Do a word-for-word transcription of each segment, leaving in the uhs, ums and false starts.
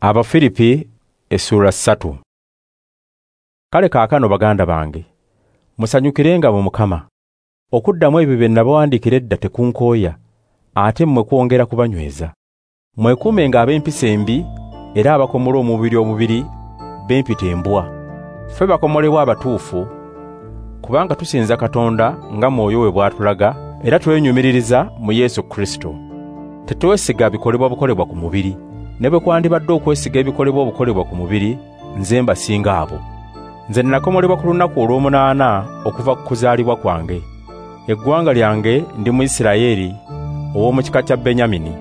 Abafiripi essuula ssatu. Kale kaakano baganda bange, musanyukirenga mu Mukama. Okuddamu ebyo bye nabawandiikira edda tekunkooya, ate mmwe kwongera kubanyweza. Mwekuumenga ab'empisa embi era abakomola omubiri omubiri b'empita embwa. Ffe bakomolebwa abatuufu, kubanga tusinza Katonda nga Mwoyo we bw'atulaga, era twenyumiririza mu Yesu Kristo. Tetwesiga bikolebwa bukolebwa ku mubiri. Ne bwe kwandibadde okwesiga ebikolebwa obukolebwa ku mubiri, nze mbasinga abo. Nze nakomolebwa ku lunaku olw'omunaana okuva ku kuzaalibwa kwange. Eggwanga lyange ndi Muyisirayeli ow'omu kika kya Benyamini.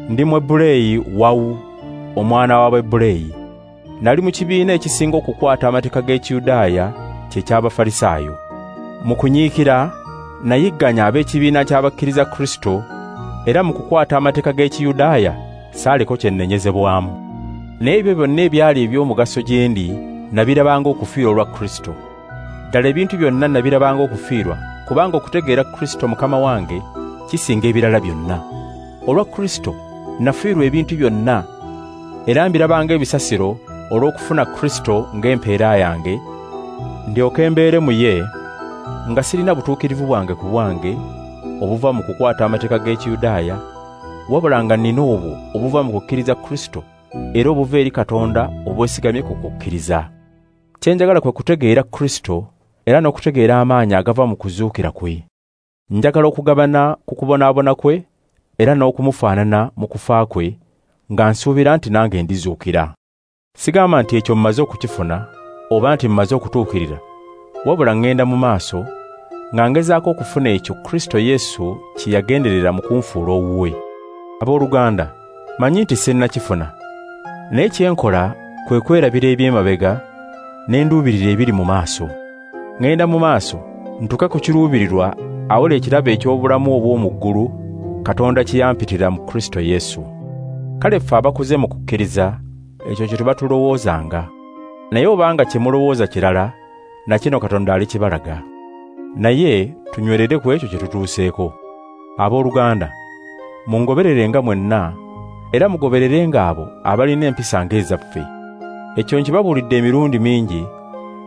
Ndi Mwebureeyi wawu, omwana w'Abaebureeyi. Nali mu kibiina ekisinga okukwata amateeka g'Ekiyudaaya kye ky'Abafalisaayo. Mu kunyiikira nayigganya ab'ekibiina ky'abakkiriza Kristo, era mu kukwata amateeka g'Ekiyudaaya saaliko kye nnenyezebwamu. Naye ebyo byonna ebyali eby'omugaso gye ndi nabirabanga okufiirwa olwa Kristo. Ddala ebintu byonna nabirabanga okufiirwa, kubanga okutegeera Kristo Mukama wange kisinga ebirala byonna. Olwa Kristo nafiirwa ebintu byonna, era mbirabanga ebisasiro olw'okufuna Kristo ng'empeera yange, ndyoke mbeere mu ye, nga sirina butuukirivu bwange ku bwange obuva mu kukwata amateeka g'Ekiyudaaya, wabula nga nnina obwo obuva mu kukkiriza Kristo era obuva eri Katonda obwesigamye ku kukkiriza. Kye njagala kwe kutegeera Kristo era n'okutegeera amaanyi agava mu kuzuukira kwe. Njagala okugabana ku kubonaabona kwe era n'okumufaanana mu kufa kwe, nga nsuubira nti nange ndizuukira. Sigamba nti ekyo mmaze okukifuna oba nti mmaze okutuukirira, wabula ŋŋenda mu maaso nga ngezaako okufuna ekyo Kristo Yesu kye yagenderera mu kunfuula owuwe. Abooluganda, manyi nti sinnakifuna, naye kye nkola kwe kwerabira eby'emabega ne nduubirira ebiri mu maaso. Ŋŋenda mu maaso ntuuke ku kiruubirirwa awola ekirabo eky'obulamu obw'omu ggulu Katonda kye yampitira mu Kristo Yesu. Kale ffe abakuze mu kukkiriza ekyo kye tuba tulowoozanga. Naye obanga kye mulowooza kirala, na kino Katonda alikibalaga. Naye tunywerere ku ekyo kye tutuuseeko. Abooluganda, mungobererenga mwenna, era mugobererenga abo abalina empisa ng'ezaffe. Ekyo nkibabuulidde emirundi mingi,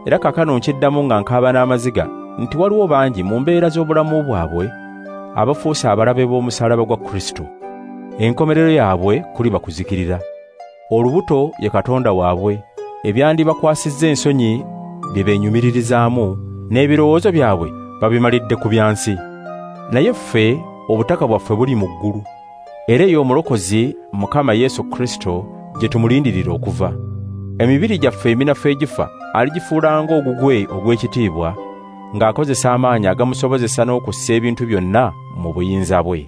era kaakano nkiddamu nga nkaaba n'amaziga nti waliwo bangi mu mbeera z'obulamu bwabwe abafuuse abalabe b'omusaalaba gwa Kristo. Enkomerero yaabwe kuliba kuzikirira. Olubuto ye Katonda waabwe, ebyandibakwasizza ensonyi bye beenyumiririzaamu, n'ebirowoozo byabwe babimalidde ku byansi. Naye ffe obutaka bwaffe buli mu ggulu, era eyo Omulokozi Mukama Yesu Kristo gye tumulindirira okuva. Emibiri gyaffe eminafu egifa aligifuula ng'ogugwe ogw'ekitiibwa, ng'akozesa amaanyi agamusobozesa n'okussa ebintu byonna mu buyinza bwe.